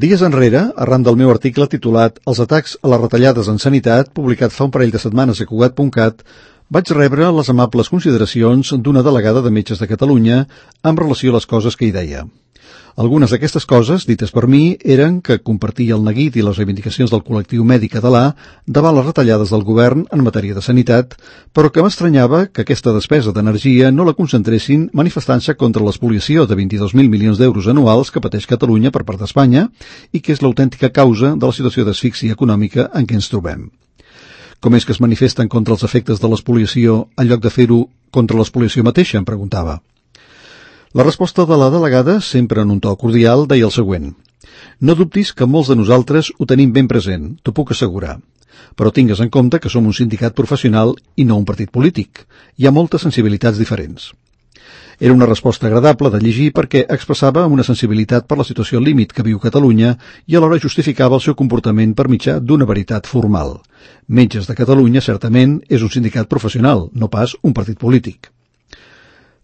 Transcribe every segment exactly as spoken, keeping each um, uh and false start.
Dies enrere, arran del meu article titulat Els atacs a les retallades en sanitat, publicat fa un parell de setmanes a Cugat punt cat, vaig rebre les amables consideracions d'una delegada de Metges de Catalunya en relació a les coses que hi deia. Algunes d'aquestes coses, dites per mi, eren que compartia el neguit i les reivindicacions del col·lectiu mèdic català davant les retallades del govern en matèria de sanitat, però que m'estranyava que aquesta despesa d'energia no la concentressin manifestant-se contra l'espoliació de vint-i-dos mil milions d'euros anuals que pateix Catalunya per part d'Espanya i que és l'autèntica causa de la situació d'asfíxia econòmica en què ens trobem. Com és que es manifesten contra els efectes de l'espoliació en lloc de fer-ho contra l'espoliació mateixa, em preguntava. La resposta de la delegada, sempre en un to cordial, deia el següent. No dubtis que molts de nosaltres ho tenim ben present, t'ho puc assegurar. Però tingues en compte que som un sindicat professional i no un partit polític. Hi ha moltes sensibilitats diferents. Era una resposta agradable de llegir perquè expressava una sensibilitat per la situació límit que viu Catalunya i alhora justificava el seu comportament per mitjà d'una veritat formal. Metges de Catalunya, certament, és un sindicat professional, no pas un partit polític.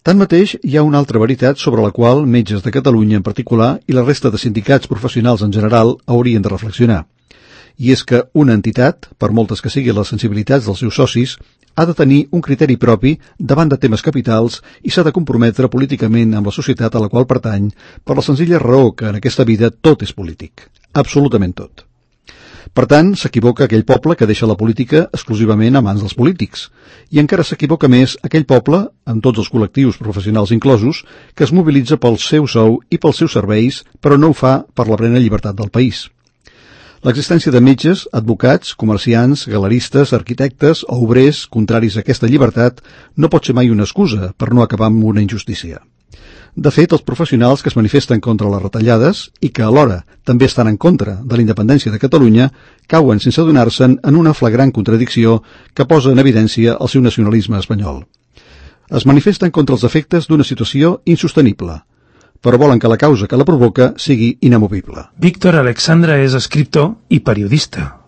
Tanmateix, hi ha una altra veritat sobre la qual Metges de Catalunya en particular i la resta de sindicats professionals en general haurien de reflexionar. I és que una entitat, per moltes que siguin les sensibilitats dels seus socis, ha de tenir un criteri propi davant de temes capitals i s'ha de comprometre políticament amb la societat a la qual pertany per la senzilla raó que en aquesta vida tot és polític. Absolutament tot. Per tant, s'equivoca aquell poble que deixa la política exclusivament a mans dels polítics. I encara s'equivoca més aquell poble, amb tots els col·lectius professionals inclosos, que es mobilitza pel seu sou i pels seus serveis, però no ho fa per la plena llibertat del país. L'existència de metges, advocats, comerciants, galeristes, arquitectes o obrers contraris a aquesta llibertat no pot ser mai una excusa per no acabar amb una injustícia. De fet, els professionals que es manifesten contra les retallades i que alhora també estan en contra de la independència de Catalunya cauen sense adonar-se'n en una flagrant contradicció que posa en evidència el seu nacionalisme espanyol. Es manifesten contra els efectes d'una situació insostenible, però volen que la causa que la provoca sigui inamovible. Víctor Alexandra és escriptor i periodista.